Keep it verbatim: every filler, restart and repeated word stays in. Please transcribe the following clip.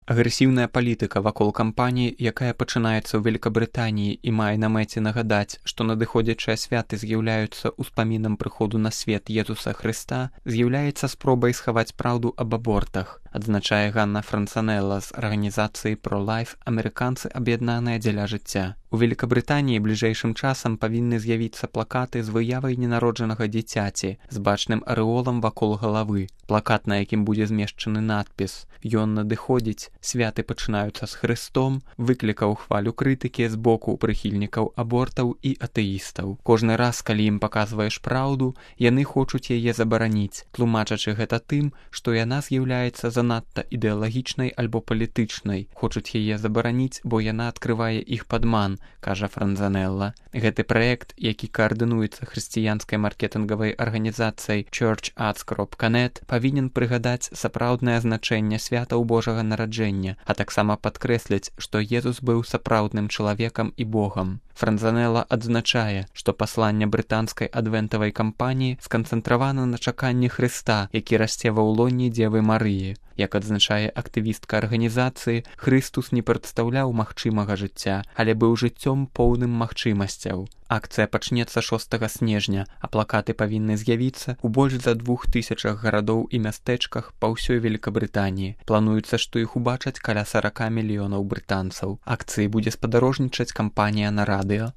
Агрэсіўная палітыка вакол кампаніі, якая пачынаецца ў Вялікабрытаніі і мае на мэце нагадаць, што надыходзячыя святы з'яўляюцца ўспамінам прыходу на свет Езуса Хрыста, з'яўляецца спробай схаваць праўду аб абортах, адзначае Ганна Францанелла з арганізацыі Pro-Life «Амерыканцы аб'яднаныя дзеля жыцця». У Вялікабрытаніі бліжэйшым часам павінны з'явіцца плакаты з выявай ненароджанага дзіцяці з бачным арэолам вакол галавы. Плакат, на якім будзе змешчаны надпіс «Ён надыходзіць, святы пачынаюцца з Хрыстом», выклікаў хвалю крытыкі з боку прыхільнікаў абортаў і атэістаў. Кожны раз, калі ім паказваеш праўду, яны хочуць яе забараніць, тлумачачы гэта тым, што яна з'яўляецца занадта ідэалагічнай альбо палітычнай. Хочуць яе забараніць, бо яна адкрывае іх падман, кажа Францанелла. Гэты праект, які каардынуецца хрысціянскай маркетынгавай арганізацыяй church arts dot net, павінен прыгадаць сапраўднае значэнне святаў Божага нараджэння, а таксама падкрэсліць, што Езус быў сапраўдным чалавекам і Богам. Францанелла адзначае, што пасланне брытанскай адвентавай кампаніі сканцэнтравана на чаканні Хрыста, які расце ва ўлонні Дзевы Марыі. Як адзначае актывістка арганізацыі, Хрыстус не прадстаўляў магчымага жыцця, але быў жыццём поўным магчымасцяў. Акцыя пачнецца шостага снежня, а плакаты павінны з'явіцца ў больш за двух тысячах гарадоў і мястэчках па ўсёй Вялікабрытаніі. Плануецца, што іх убачаць каля сорока мільёнаў брытанцаў. Акцыі будзе спадарожнічаць кампанія на радыё.